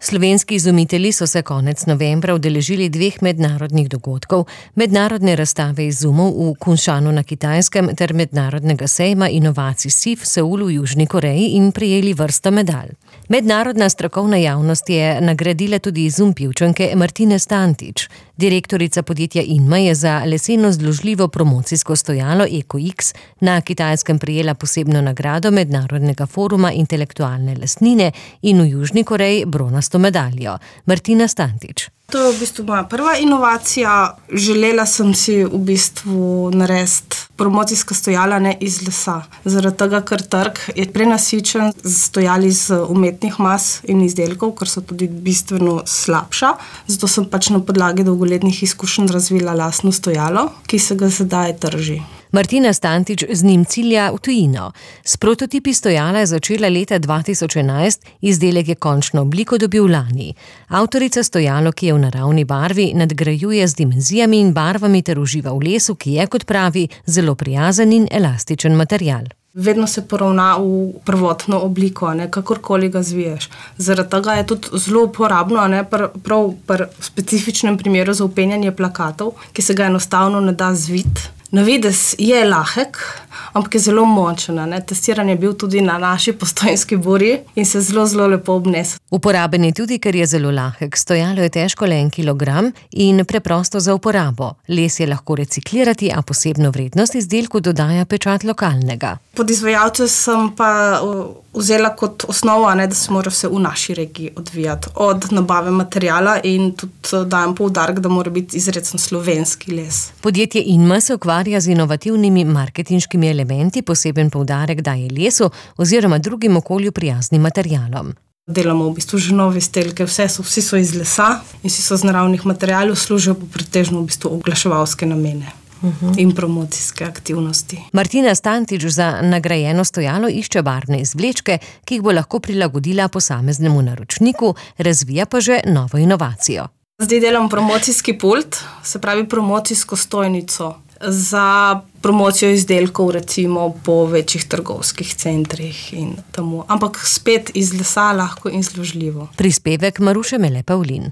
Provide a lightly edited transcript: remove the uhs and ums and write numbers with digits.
Slovenski izumitelji so se konec novembra udeležili 2 mednarodnih dogodkov, mednarodne razstave izumov v Kunšanu na Kitajskem ter mednarodnega sejma inovacij SIF v Seulu v Južni Koreji in prejeli vrsto medalj. Mednarodna strokovna javnost je nagradila tudi izum Pivčanke Martine Stantič. Direktorica podjetja Inma je za leseno zložljivo promocijsko stojalo EcoX na Kitajskem prejela posebno nagrado Mednarodnega foruma intelektualne lastnine in v Južni Koreji bronasto medaljo. Martina Stantič. To je v bistvu moja prva inovacija. Želela sem si v bistvu narediti promocijska stojala ne iz lesa. Zaradi tega, ker trg je prenasičen z stojali iz umetnih mas in izdelkov, ker so tudi bistveno slabša. Zato sem na podlagi dolgoletnih izkušenj razvila lastno stojalo, ki se ga sedaj trži. Martina Stantič z njim cilja v tujino. S prototipi stojala je začela leta 2011, izdelek je končno obliko dobil lani. Avtorica stojalo, ki je v naravni barvi, nadgrajuje z dimenzijami in barvami ter uživa v lesu, ki je, kot pravi, zelo prijazen in elastičen material. Vedno se poravna v prvotno obliko, kakorkoli ga zviješ. Zaradi tega je tudi zelo uporabno, prav pri specifičnem primeru za vpenjanje plakatov, ki se ga enostavno ne da zviti. Na videz je lahek, ampak je zelo močen. Testiran je bil tudi na naši Postojnski burji in se zelo lepo obnese. Uporaben je tudi, ker je zelo lahek. Stojalo je težko le 1 kilogram in preprosto za uporabo. Les je lahko reciklirati, a posebno vrednost izdelku dodaja pečat lokalnega. Podizvajalce sem pa vzela kot osnovo, da se mora vse v naši regiji odvijati. Od nabave materijala in tudi dajem poudarek, da mora biti izrecno slovenski les. Podjetje Inma se ukvarja z inovativnimi marketinškimi elementi, poseben poudarek daje lesu oziroma drugim okolju prijaznim materialom. Delamo v bistvu že nove izdelke, vsi so iz lesa in vsi so iz naravnih materialov, služijo pa pretežno v bistvu oglaševalske namene. In promocijske aktivnosti. Martina Stantič za nagrajeno stojalo išče barvne izvlečke, ki jih bo lahko prilagodila posameznemu naročniku, razvija pa že novo inovacijo. Zdaj delam promocijski pult, se pravi promocijsko stojnico za promocijo izdelkov recimo po večjih trgovskih centrih in temu. Ampak spet iz lesa lahko in zložljivo. Prispevek Maruše Mele Pavlin.